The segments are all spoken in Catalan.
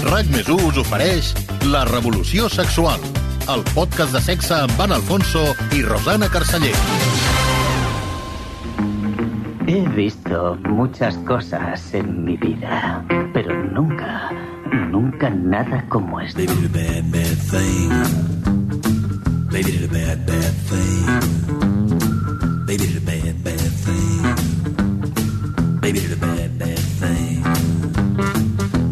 RAC+1 us ofereix La Revolució Sexual, el podcast de sexe amb Ana Alfonso i Rosana Carceller. He visto muchas cosas en mi vida, pero nunca nada como esto. Baby did a bad, bad thing. Baby did a bad, bad thing. Baby did a bad, bad thing. Baby did a bad, bad thing.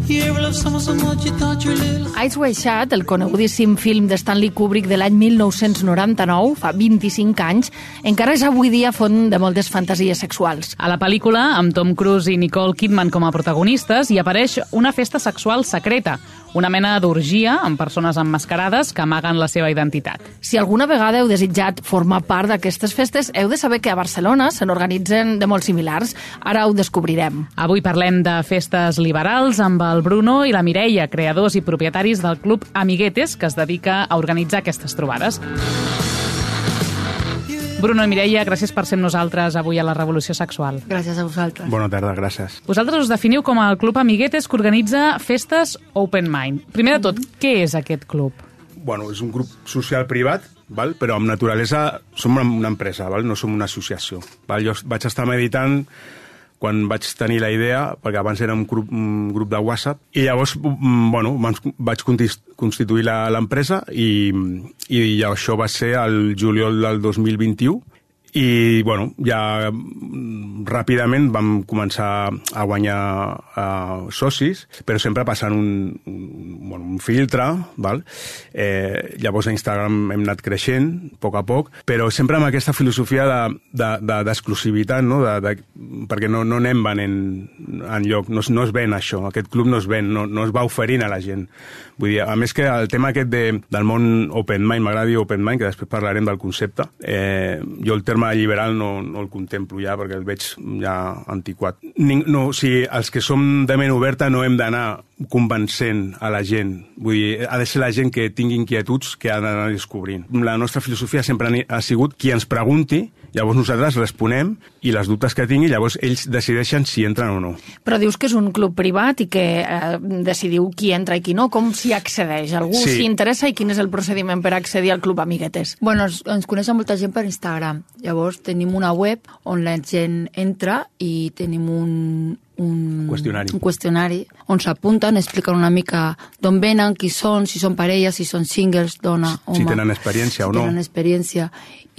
You ever love someone so much you thought you were little? Eyes Wide Shut, el conegudíssim film de Stanley Kubrick de l'any 1999, fa 25 anys, encara és avui dia font de moltes fantasies sexuals. A la pel·lícula, amb Tom Cruise i Nicole Kidman com a protagonistes, hi apareix una festa sexual secreta, una mena d'orgia amb persones emmascarades que amaguen la seva identitat. Si alguna vegada heu desitjat formar part d'aquestes festes, heu de saber que a Barcelona se n'organitzen de molt similars. Ara ho descobrirem. Avui parlem de festes liberals amb el Bruno i la Mireia, creadors i propietaris del Club Amiguetes, que es dedica a organitzar aquestes trobades. Bruno i Mireia, gràcies per ser amb nosaltres avui a la Revolució Sexual. Gràcies a vosaltres. Bona tarda, gràcies. Vosaltres us definiu com el Club Amiguetes que organitza festes Open Mind. Primer de tot, què és aquest club? Bueno, és un grup social privat, val? Però amb naturalesa som una empresa, val? No som una associació. Val? Jo vaig estar meditant quan vaig tenir la idea, perquè abans era un grup de WhatsApp, i llavors vaig constituir l'empresa i això va ser el juliol del 2021, i ja ràpidament vam començar a guanyar socis, però sempre passant un filtre, val? Llavors a Instagram hem anat creixent a poc, però sempre amb aquesta filosofia d'exclusivitat, no? Perquè no anem venent enlloc, no es ven això, aquest club no es ven, no es va oferint a la gent. Vull dir, a més que el tema aquest del món Open Mind, m'agrada dir Open Mind, que després parlarem del concepte, jo el terme liberal no el contemplo ja, perquè el veig ja antiquat. O sigui, els que som de ment oberta no hem d'anar convencent a la gent. Vull dir, ha de ser la gent que tingui inquietuds que ha d'anar descobrint. La nostra filosofia sempre ha sigut qui ens pregunti, llavors nosaltres responem, i les dubtes que tingui, llavors ells decideixen si entren o no. Però dius que és un club privat i que decidiu qui entra i qui no. Com s'hi accedeix? Algú s'hi interessa i quin és el procediment per accedir al Club Amiguetes? Bueno, ens coneix molta gent per Instagram. Llavors tenim una web on la gent entra i tenim un qüestionari on s'apunten, expliquen una mica d'on venen, qui són, si són parelles, si són singles, dona, home. Si tenen experiència o no. Si tenen experiència.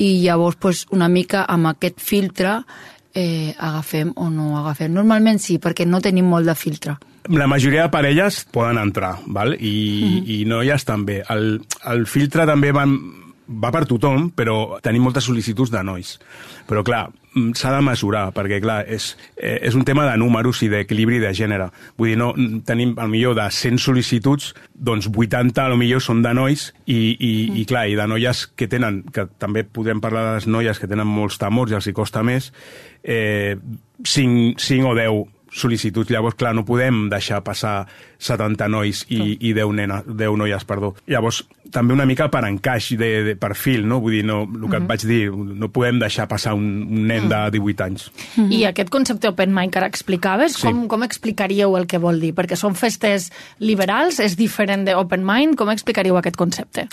I llavors, una mica amb aquest filtre agafem o no agafem. Normalment sí, perquè no tenim molt de filtre. La majoria de parelles poden entrar, val? I noies també. El filtre també va per tothom, però tenim moltes sol·licituds de nois. Però, clar, s'ha de mesurar, perquè, clar, és un tema de números i d'equilibri de gènere. Vull dir, tenim, potser de 100 sol·licituds, doncs 80, potser són de nois, i clar, i de noies que tenen, que també podem parlar de les noies que tenen molts temors i els hi costa més, 5 o 10 sol·licituds. Llavors, clar, no podem deixar passar 70 nois i 10 noies, perdó. Llavors, també una mica per encaix de perfil, no? Vull dir, el que et vaig dir, no podem deixar passar un nen de 18 anys. I aquest concepte Open Mind que ara explicaves, com explicaríeu el que vol dir? Perquè són festes liberals, és diferent d'Open Mind, com explicaríeu aquest concepte?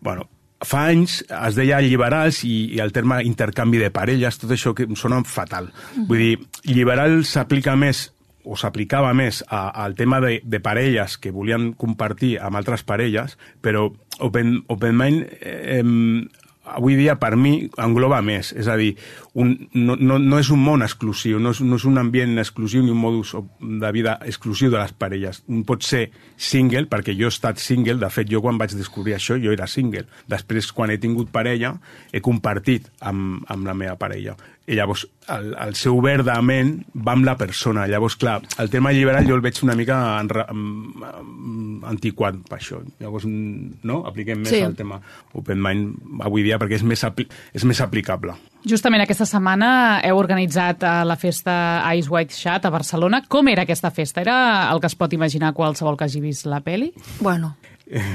Bueno, fa anys es deia liberals i el terme intercanvi de parelles, tot això que em sona fatal. Vull dir, liberal s'aplica més o s'aplicava més al tema de parelles que volien compartir amb altres parelles, però Open Mind avui dia per mi engloba més, és a dir, no és un món exclusiu, no és un ambient exclusiu ni un modus de vida exclusiu de les parelles. Un pot ser single, perquè jo he estat single, de fet jo quan vaig descobrir això jo era single. Després quan he tingut parella he compartit amb la meva parella. I llavors el seu obert de ment va amb la persona. Llavors, clar, el tema liberal jo el veig una mica antiquat per això. Llavors, no? Apliquem més el tema Open Mind avui dia perquè és més aplicable. Justament aquesta setmana heu organitzat la festa Eyes Wide Shut a Barcelona. Com era aquesta festa? Era el que es pot imaginar qualsevol que hagi vist la pel·li? Bueno,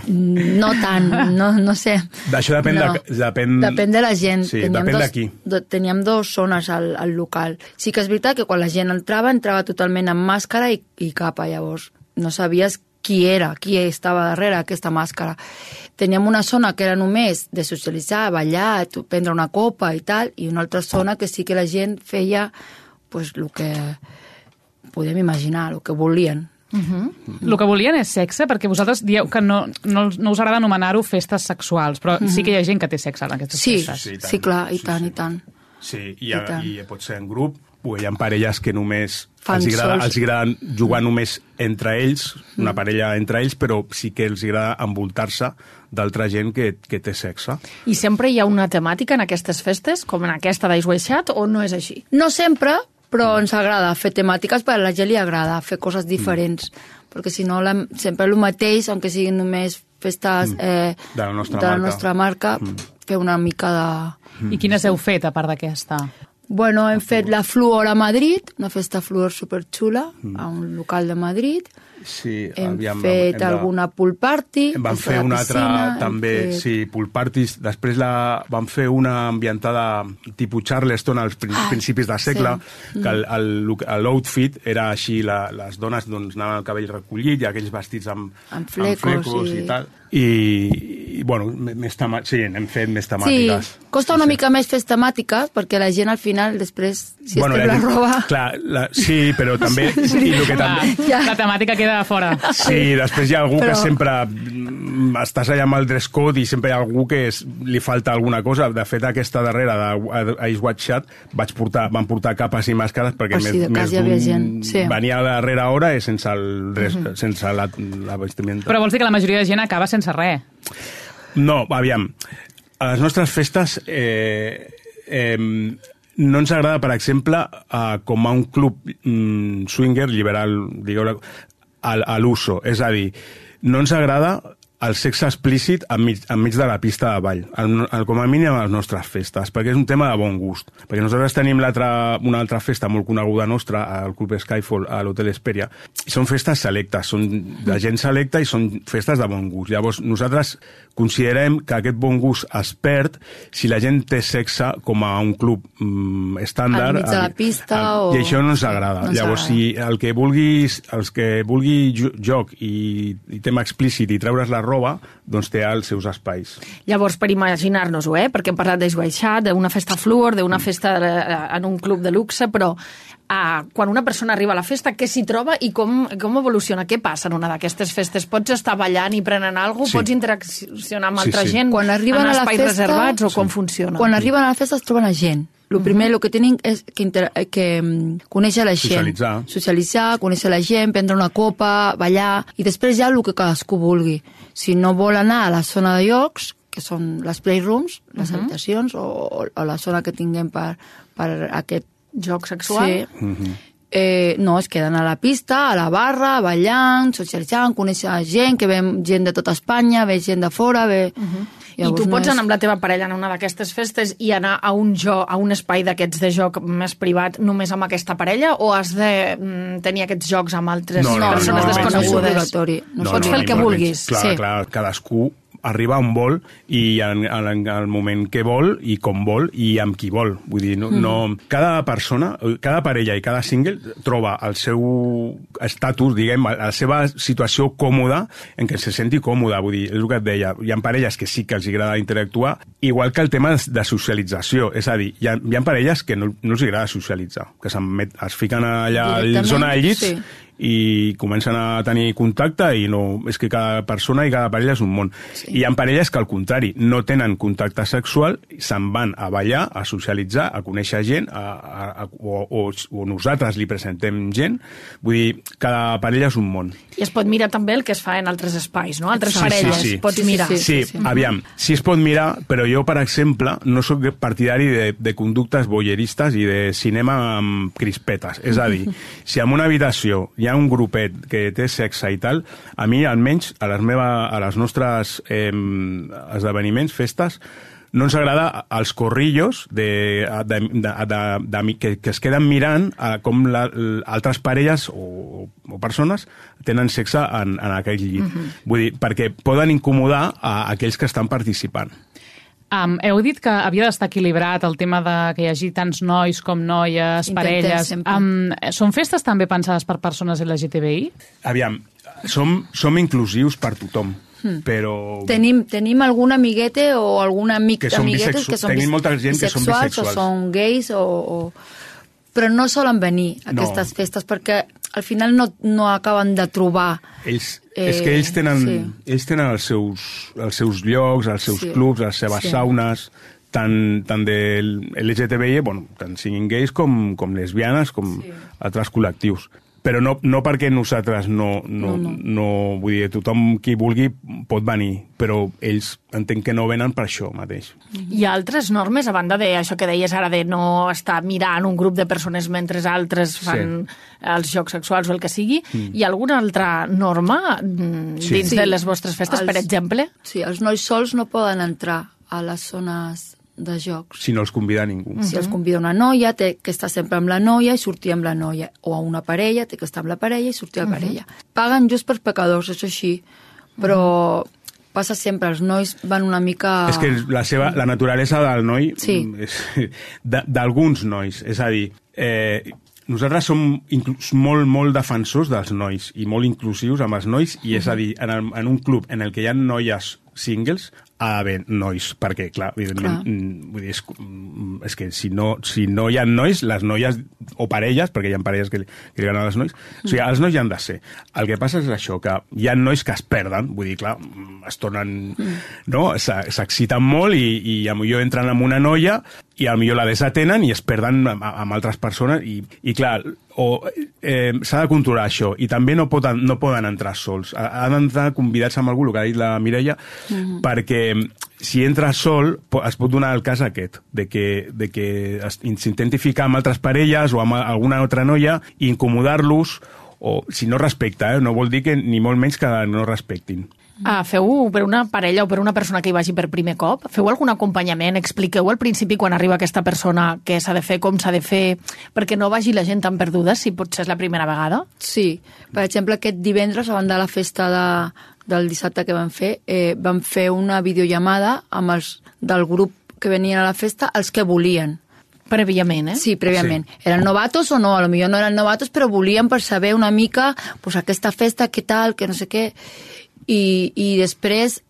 No tant, no sé. D'això depèn de la gent. Sí, depèn d'aquí. Teníem 2 zones al local. Sí que és veritat que quan la gent entrava totalment amb màscara i capa, llavors no sabies qui estava darrere aquesta màscara. Teníem una zona que era només de socialitzar, ballar, prendre una copa i tal, i una altra zona que sí que la gent feia pues, el que podem imaginar, el que volien. El que volien és sexe, perquè vosaltres dieu que no us agrada anomenar-ho festes sexuals, però sí que hi ha gent que té sexe en aquestes festes. Sí, clar, i tant. Sí, i pot ser en grup, o hi ha parelles que només els agrada jugar només entre ells, una parella entre ells, però sí que els agrada envoltar-se d'altra gent que té sexe. I sempre hi ha una temàtica en aquestes festes, com en aquesta d'Ice White Chat, o no és així? No sempre, però ens agrada fer temàtiques, perquè a la gent li agrada fer coses diferents, perquè si no sempre el mateix, aunque siguin només festes de la nostra marca, fer una mica de... I quines heu fet, a part d'aquesta? Bueno, hem fet la Fluor a Madrid, una festa Fluor superxula, a un local de Madrid. Sí, hem fet alguna pool party. Vam fer una altra, també, sí, pool parties. Després vam fer una ambientada tipus Charleston als principis del segle, que l'outfit era així, les dones anaven el cabell recollit i aquells vestits amb flecos i tal. I bueno, sí, hem fet més temàtiques. Sí, costa una mica més fer temàtiques, perquè la gent al final, després, si es té la roba... Clar, sí, però també... La temàtica queda fora. Sí, després hi ha algú que sempre... Estàs allà amb el dress code i sempre hi ha algú que li falta alguna cosa. De fet, aquesta darrera d'Ice White Chat van portar capes i màscares perquè més d'un venia a la darrera hora i sense la vestimenta. Però vols dir que la majoria de gent acaba sense res? No, aviam. A les nostres festes no ens agrada, per exemple, com a un club swinger liberal, digueu-ne, a l'uso. És a dir, no ens agrada el sexe explícit enmig de la pista de ball, com a mínim a les nostres festes, perquè és un tema de bon gust. Perquè nosaltres tenim una altra festa molt coneguda nostra, al Club Skyfall, a l'Hotel Hesperia, i són festes selectes, són de gent selecta i són festes de bon gust. Llavors, nosaltres considerem que aquest bon gust es perd si la gent té sexe com a un club estàndard. Al mig de la pista i això no ens agrada. Llavors, si els que vulgui joc i tema explícit i treure's la roba, doncs té els seus espais. Llavors, per imaginar-nos-ho, perquè hem parlat d'Ice White Chat, d'una festa Fluor, d'una festa en un club de luxe, però quan una persona arriba a la festa, què s'hi troba i com evoluciona? Què passa en una d'aquestes festes? Pots estar ballant i prenent alguna cosa? Pots interaccionar amb altra gent en espais reservats o com funciona? Quan arriben a la festa es troben a gent. El primer que tenen és que conèixer la gent. Socialitzar, conèixer la gent, prendre una copa, ballar, i després ja el que cadascú vulgui. Si no vol anar a la zona de llocs, que són les playrooms, les habitacions, o la zona que tinguem per aquest joc sexual, no, es queden a la pista, a la barra, ballant, socialitzant, conèixer gent, que ve gent de tota Espanya, ve gent de fora, ve... I tu pots anar amb la teva parella en una d'aquestes festes i anar a un espai d'aquests de joc més privat només amb aquesta parella, o has de tenir aquests jocs amb altres persones desconegudes? Pots fer el que vulguis. Clar, cadascú arriba on vol i en el moment que vol i com vol i amb qui vol. Vull dir, cada persona, cada parella i cada single troba el seu estatus, diguem, la seva situació còmoda en què se senti còmoda. Vull dir, és el que et deia, hi ha parelles que sí que els agrada interactuar, igual que el tema de socialització. És a dir, hi ha parelles que no els agrada socialitzar, que es fiquen allà a la zona de llits i comencen a tenir contacte i no, és que cada persona i cada parella és un món. I hi ha parelles que al contrari no tenen contacte sexual, se'n van a ballar, a socialitzar, a conèixer gent o nosaltres li presentem gent. Vull dir, cada parella és un món. I es pot mirar també el que es fa en altres espais, no? Altres parelles, pots mirar. Sí, aviam, sí es pot mirar, però jo, per exemple, no sóc partidari de conductes voyeuristes i de cinema amb crispetes. És a dir, si en una habitació hi ha un grupet que té sexe i tal, a mi, almenys, a les nostres esdeveniments, festes, no ens agrada els corrillos que es queden mirant com altres parelles o persones tenen sexe en aquell llit. Vull dir, perquè poden incomodar a aquells que estan participant. Heu dit que havia d'estar equilibrat el tema de que hi hagi tants nois com noies, parelles. Són festes també pensades per persones LGTBI? Aviam, som inclusius per tothom. Però... Tenim algun amiguete o algun amic d'amiguetes que són bisexuals o són gais però no solen venir a aquestes festes perquè al final no acaben de trobar. És que ells tenen els seus llocs, els seus clubs, les seves saunes, tant de LGTBI, tant siguin gais com lesbianes, com altres col·lectius. Però no perquè nosaltres no. Vull dir, tothom qui vulgui pot venir, però ells entenc que no venen per això mateix. Hi ha altres normes, a banda d'això que deies ara de no estar mirant un grup de persones mentre altres fan els jocs sexuals o el que sigui. Hi ha alguna altra norma dins de les vostres festes, per exemple? Sí, els nois sols no poden entrar a les zones de jocs. Si no els convida ningú. Si els convida una noia, té que estar sempre amb la noia i sortir amb la noia. O a una parella, té que estar amb la parella i sortir amb la parella. Paguen just per pecadors, això així. Però passa sempre, els nois van una mica... És que la naturalesa del noi... Sí. D'alguns nois. És a dir, nosaltres som molt defensors dels nois i molt inclusius amb els nois i és a dir, en un club en el que hi ha noies singles ha d'haver nois, perquè, clar, evidentment, vull dir, és que si no hi ha nois, les noies, o parelles, perquè hi ha parelles que li agraden als nois, o sigui, els nois hi han de ser. El que passa és això, que hi ha nois que es perden, vull dir, clar, es tornen, no?, s'exciten molt i potser entren amb una noia i potser la desatenen i es perden amb altres persones i clar, s'ha de controlar això i també no poden entrar sols, han d'entrar convidats amb algú, el que ha dit la Mireia, perquè si entra sol es pot donar el cas aquest, de que s'intenti ficar amb altres parelles o amb alguna altra noia i incomodar-los, o si no respecta, no vol dir que ni molt menys que no respectin. Feu per una parella o per una persona que hi vagi per primer cop? Feu algun acompanyament? Expliqueu al principi quan arriba aquesta persona què s'ha de fer, com s'ha de fer, perquè no vagi la gent tan perduda, si potser és la primera vegada? Sí. Per exemple, aquest divendres, abans de la festa del dissabte que vam fer una videollamada amb els del grup que venien a la festa, els que volien. Prèviament, Sí, prèviament. Sí. Eren novatos o no? A lo millor no eren novatos, però volien per saber una mica pues, aquesta festa, què tal, que no sé què... I després,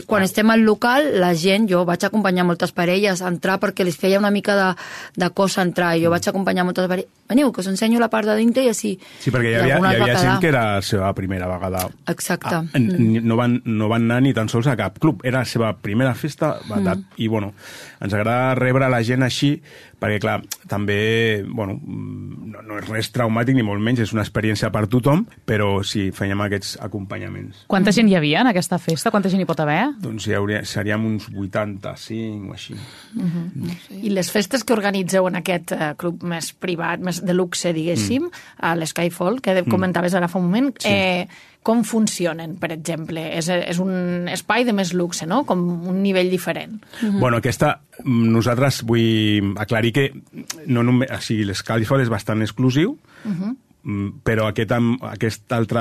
quan estem al local, la gent, jo vaig acompanyar moltes parelles a entrar perquè les feia una mica de cosa entrar, i jo vaig acompanyar moltes parelles. Veniu, que us ensenyo la part de dintre i així. Sí, perquè hi havia gent que era la seva primera vegada. Exacte. No van anar ni tan sols a cap club, era la seva primera festa, i bueno, ens agrada rebre la gent així, perquè clar, també, bueno, no és res traumàtic ni molt menys, és una experiència per tothom, però sí, fèiem aquests acompanyaments. Quanta gent hi havia en aquesta festa? Quanta gent hi pot haver? Doncs seríem uns 85 o així. I les festes que organitzeu en aquest club més privat, més de luxe, diguéssim, a l'Skyfall, que comentaves ara fa un moment, com funcionen, per exemple? És un espai de més luxe, no? Com un nivell diferent. Bueno, nosaltres vull aclarir que no només, o sigui, l'Skyfall és bastant exclusiu, però aquest altre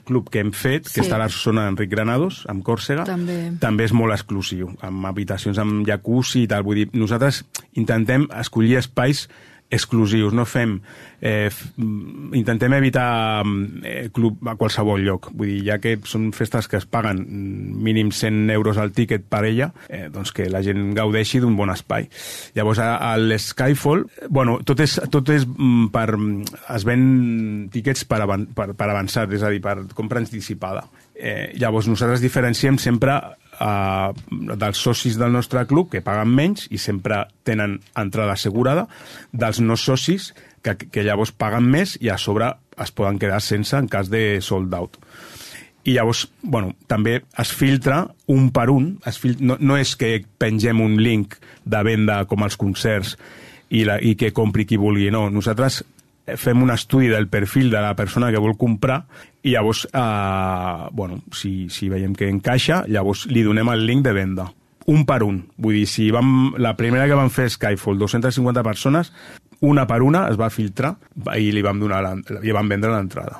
club que hem fet, que està a la zona d'Enric Granados, amb Còrsega, també és molt exclusiu, amb habitacions amb jacuzzi i tal. Vull dir, nosaltres intentem escollir espais exclusius, no fem... intentem evitar club a qualsevol lloc. Vull dir, ja que són festes que es paguen mínim 100 euros al tíquet per ella, doncs que la gent gaudeixi d'un bon espai. Llavors, a l'Skyfall, bueno, tot és per... es ven tíquets per avançat, és a dir, per compra anticipada. Llavors, nosaltres diferenciem sempre dels socis del nostre club, que paguen menys i sempre tenen entrada assegurada, dels no socis, que llavors paguen més i a sobre es poden quedar sense en cas de sold out. I llavors, bueno, també es filtra un per un, no és que pengem un link de venda com als concerts i que compri qui vulgui, no. Nosaltres fem un estudi del perfil de la persona que vol comprar i llavors, bueno, si veiem que encaixa, llavors li donem el link de venda. un per un. Vull dir, si la primera que vam fer Skyfall, 250 persones, una per una es va filtrar i li vam vendre l'entrada.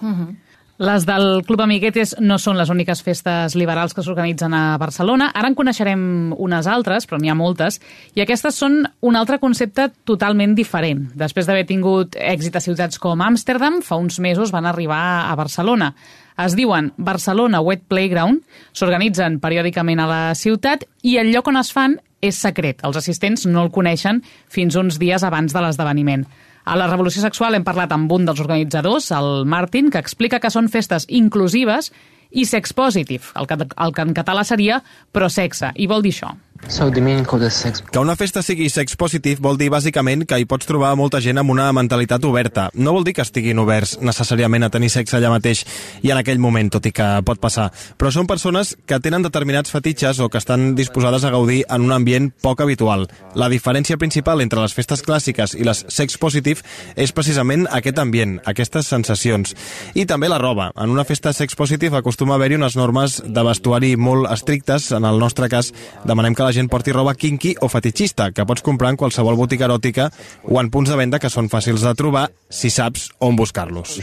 Les del Club Amiguetes no són les úniques festes liberals que s'organitzen a Barcelona. Ara en coneixerem unes altres, però n'hi ha moltes, i aquestes són un altre concepte totalment diferent. Després d'haver tingut èxit a ciutats com Amsterdam, fa uns mesos van arribar a Barcelona. Es diuen Barcelona Wet Playground, s'organitzen periòdicament a la ciutat i el lloc on es fan és secret. Els assistents no el coneixen fins uns dies abans de l'esdeveniment. A la Revolució Sexual hem parlat amb un dels organitzadors, el Martin, que explica que són festes inclusives i sex positive, el que en català seria pro-sexe, i vol dir això. Que una festa sigui sex positive vol dir bàsicament que hi pots trobar molta gent amb una mentalitat oberta. No vol dir que estiguin oberts necessàriament a tenir sexe allà mateix i en aquell moment, tot i que pot passar. Però són persones que tenen determinats fetitxes o que estan disposades a gaudir en un ambient poc habitual. La diferència principal entre les festes clàssiques i les sex positive és precisament aquest ambient, aquestes sensacions. I també la roba. En una festa sex positive acostuma a haver-hi unes normes de vestuari molt estrictes. En el nostre cas, demanem que la gent porti roba kinky o fetichista, que pots comprar en qualsevol botiga eròtica o en punts de venda que són fàcils de trobar si saps on buscar-los.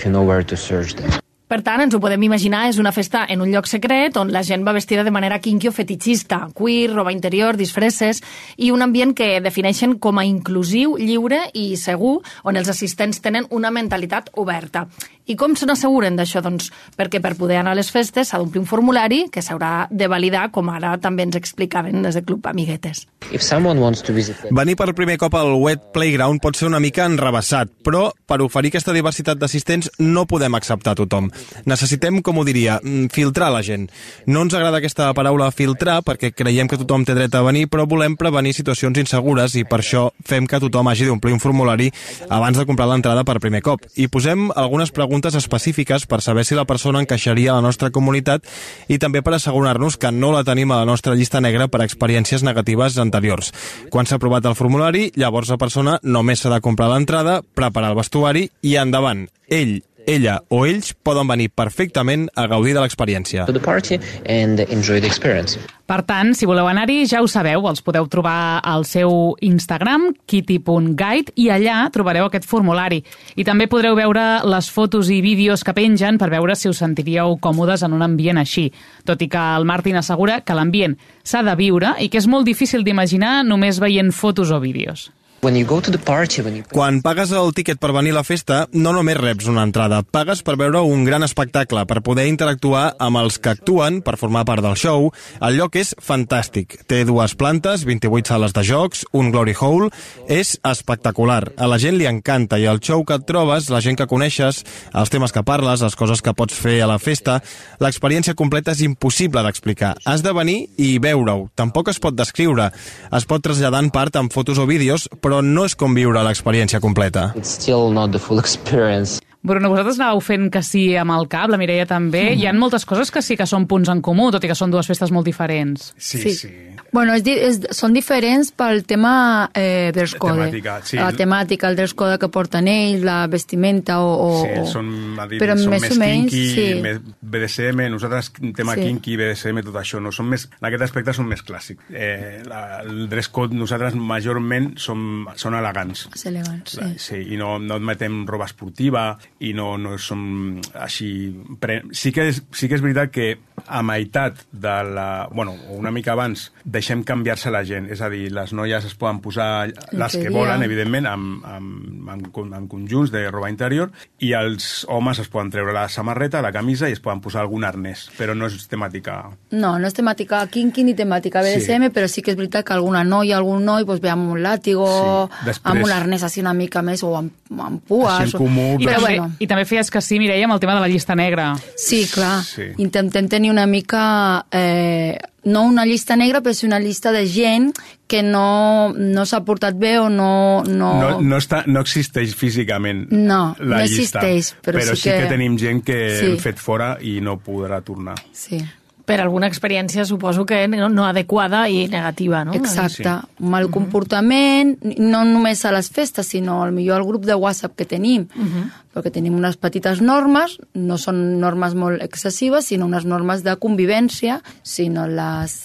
Per tant, ens ho podem imaginar, és una festa en un lloc secret on la gent va vestida de manera kinky o fetichista, queer, roba interior, disfresses, i un ambient que defineixen com a inclusiu, lliure i segur, on els assistents tenen una mentalitat oberta. I com se n'asseguren d'això? Doncs perquè per poder anar a les festes s'ha d'omplir un formulari que s'haurà de validar, com ara també ens explicaven des del Club Amiguetes. Venir per primer cop al Wet Playground pot ser una mica enrevessat, però per oferir aquesta diversitat d'assistents no podem acceptar tothom. Necessitem, com ho diria, filtrar la gent. No ens agrada aquesta paraula filtrar perquè creiem que tothom té dret a venir, però volem prevenir situacions insegures i per això fem que tothom hagi d'omplir un formulari abans de comprar l'entrada per primer cop. I posem algunes preguntes específiques per saber si la persona encaixaria a la nostra comunitat i també per assegurar-nos que no la tenim a la nostra llista negra per experiències negatives anteriors. Quan s'ha aprovat el formulari, llavors la persona només s'ha de comprar l'entrada, preparar el vestuari i endavant. Ell, ella o ells poden venir perfectament a gaudir de l'experiència. Per tant, si voleu anar-hi, ja ho sabeu, els podeu trobar al seu Instagram, kitty.guide, i allà trobareu aquest formulari. I també podreu veure les fotos i vídeos que pengen per veure si us sentiríeu còmodes en un ambient així. Tot i que el Martin assegura que l'ambient s'ha de viure i que és molt difícil d'imaginar només veient fotos o vídeos. Quan pagues el tíquet per venir a la festa, no només reps una entrada, pagues per veure un gran espectacle, per poder interactuar amb els que actuen, per formar part del show. El lloc és fantàstic. Té 2 plantes, 28 sales de jocs, un glory hole. És espectacular. A la gent li encanta i el show que et trobes, la gent que coneixes, els temes que parles, les coses que pots fer a la festa, l'experiència completa és impossible d'explicar. Has de venir i veure-ho. Tampoc es pot descriure. Es pot traslladar en part amb fotos o vídeos, però no és com viure l'experiència completa. Bruno, vosaltres anàveu fent que sí amb el cap, la Mireia també. Hi ha moltes coses que sí que són punts en comú, tot i que són 2 festes molt diferents. Sí. Bueno, són diferents pel tema dress code. La temàtica, el dress code que porten ells, la vestimenta Sí, són més kinky, més BDSM, nosaltres tema kinky, BDSM, tot això, no són més, en aquest aspecte són més clàssics. El dress code nosaltres majorment són elegants. És elegants, sí. I no admetem roba esportiva i no som així... Sí que és veritat que a meitat de una mica abans deixem canviar-se la gent, és a dir, les noies es poden posar les que volen, evidentment, amb conjunts de roba interior, i els homes es poden treure la samarreta, la camisa i es poden posar algun arnès, però no és temàtica... No és temàtica kinky ni temàtica BDSM, però sí que és veritat que alguna noia, algun noi ve amb un làtigo, amb un arnès així una mica més, o amb pues. Així en comú. I també feies que sí, Mireia, amb el tema de la llista negra. Sí, clar. Intentem tenir una mica... no una llista negra, però és una llista de gent que no s'ha portat bé o no... No existeix físicament la llista. No existeix, però sí que tenim gent que hem fet fora i no podrà tornar. Sí. Per alguna experiència, suposo que no adequada i negativa, no? Exacte. Un mal comportament, no només a les festes, sinó millor al grup de WhatsApp que tenim, perquè tenim unes petites normes, no són normes molt excessives, sinó unes normes de convivència, sinó les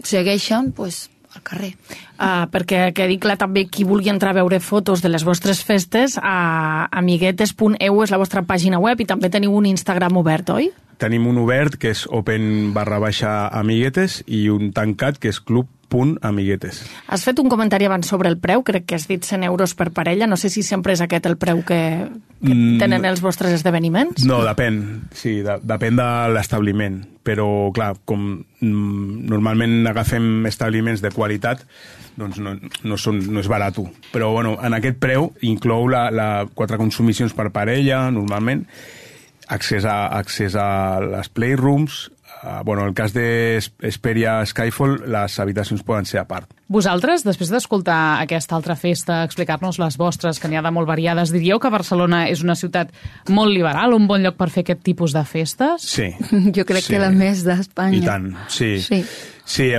segueixen, pues, al carrer. Perquè quedi clar també qui vulgui entrar a veure fotos de les vostres festes, a amiguetes.eu és la vostra pàgina web i també teniu un Instagram obert, oi? Tenim un obert, que és open/amiguetes, i un tancat, que és club.amiguetes. Has fet un comentari abans sobre el preu, crec que has dit 100 euros per parella, no sé si sempre és aquest el preu que tenen els vostres esdeveniments? No, depèn, sí, depèn de l'establiment, però clar, com normalment agafem establiments de qualitat, doncs no és barat. Però bueno, en aquest preu inclou 4 consumicions per parella, normalment, accés a les playrooms. En el cas d'Hesperia Skyfall, les habitacions poden ser a part. Vosaltres, després d'escoltar aquesta altra festa, explicar-nos les vostres, que n'hi ha de molt variades, diríeu que Barcelona és una ciutat molt liberal, un bon lloc per fer aquest tipus de festes? Sí. Jo crec que la més d'Espanya. I tant, sí. Sí,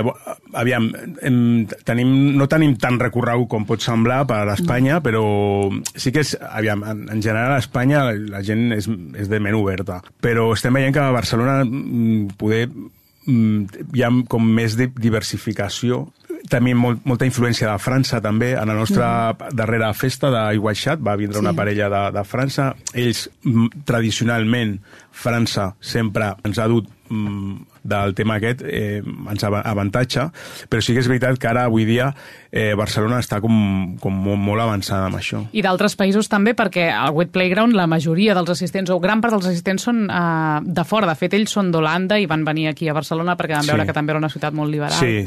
aviam, no tenim tant recorregut com pot semblar per a Espanya, però sí que en general a Espanya la gent és de ment oberta. Però estem veient que a Barcelona hi ha com més diversificació. Tenim molta influència de França, també. En la nostra darrera festa d'Aiguaixat va vindre una parella de França. Ells, tradicionalment, França sempre ens ha dut del tema aquest, ens avantatge, però sí que és veritat que ara, avui dia, Barcelona està com molt avançada amb això. I d'altres països també, perquè al Wet Playground la majoria dels assistents, o gran part dels assistents, són de fora. De fet, ells són d'Holanda i van venir aquí a Barcelona perquè van veure que també era una ciutat molt liberal. Sí,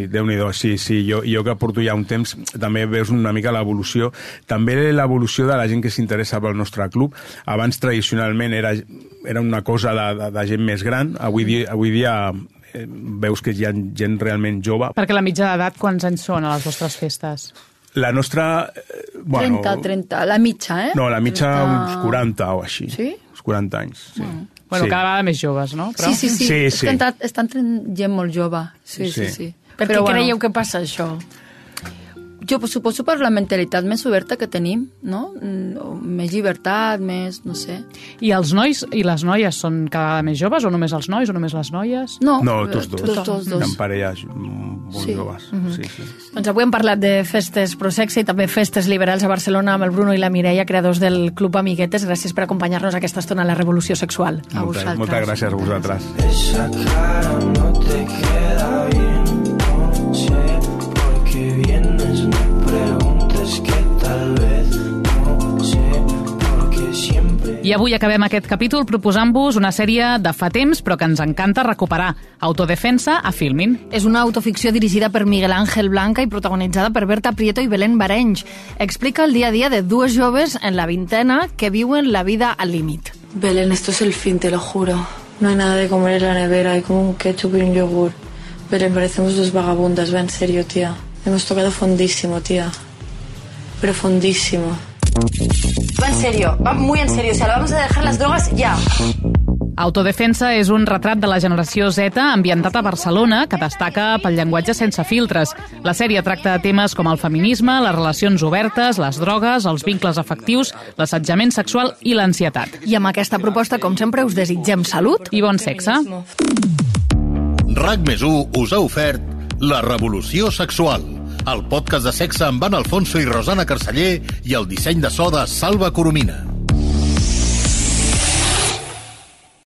Déu-n'hi-do. Sí, jo que porto ja un temps, també veus una mica l'evolució. També l'evolució de la gent que s'interessa pel nostre club. Abans, tradicionalment, era una cosa de gent més gran. Avui dia veus que hi ha gent realment jove. Perquè la mitja d'edat, quants anys són a les vostres festes? La nostra... 30, la mitja, eh? No, la mitja uns 40 o així. Sí? Uns 40 anys, sí. Bueno, cada vegada més joves, no? Però... Sí. És que estan gent molt jove. Sí. Per què creieu que passa això? Jo suposo per la mentalitat més oberta que tenim, no? Més llibertat, més, no sé. I els nois i les noies són cada vegada més joves, o només els nois, o només les noies? No, tots dos. En parelles molt joves. Sí. Doncs avui hem parlat de festes prosexe i també festes liberals a Barcelona amb el Bruno i la Mireia, creadors del Club Amiguetes. Gràcies per acompanyar-nos aquesta estona a la Revolució Sexual. A vosaltres. Moltes gràcies a vosaltres. Esa cara no te queda bien, no sé por qué vienes, me preguntes que tal vez no sé por qué siempre... I avui acabem aquest capítol proposant-vos una sèrie de fa temps però que ens encanta recuperar, Autodefensa a Filmin. És una autoficció dirigida per Miguel Ángel Blanca i protagonitzada per Berta Prieto i Belén Barenys. Explica el dia a dia de dues joves en la vintena que viuen la vida al límit. Belén, esto es el fin, te lo juro. No hay nada de comer en la nevera, hay como un ketchup y un yogur. Belén, parecemos dos vagabundas, va en serio, tía. Hemos tocado fondísimo, tía. Pero fondísimo. Va en serio, va muy en serio. O sea, vamos a dejar las drogas ya. Autodefensa és un retrat de la generació Z ambientat a Barcelona que destaca pel llenguatge sense filtres. La sèrie tracta de temes com el feminisme, les relacions obertes, les drogues, els vincles afectius, l'assetjament sexual i l'ansietat. I amb aquesta proposta, com sempre, us desitgem salut i bon sexe. RAC+1 us ha ofert La Revolució Sexual, el podcast de sexe amb Ana Alfonso i Rosana Carceller i el disseny de so de Salva Coromina.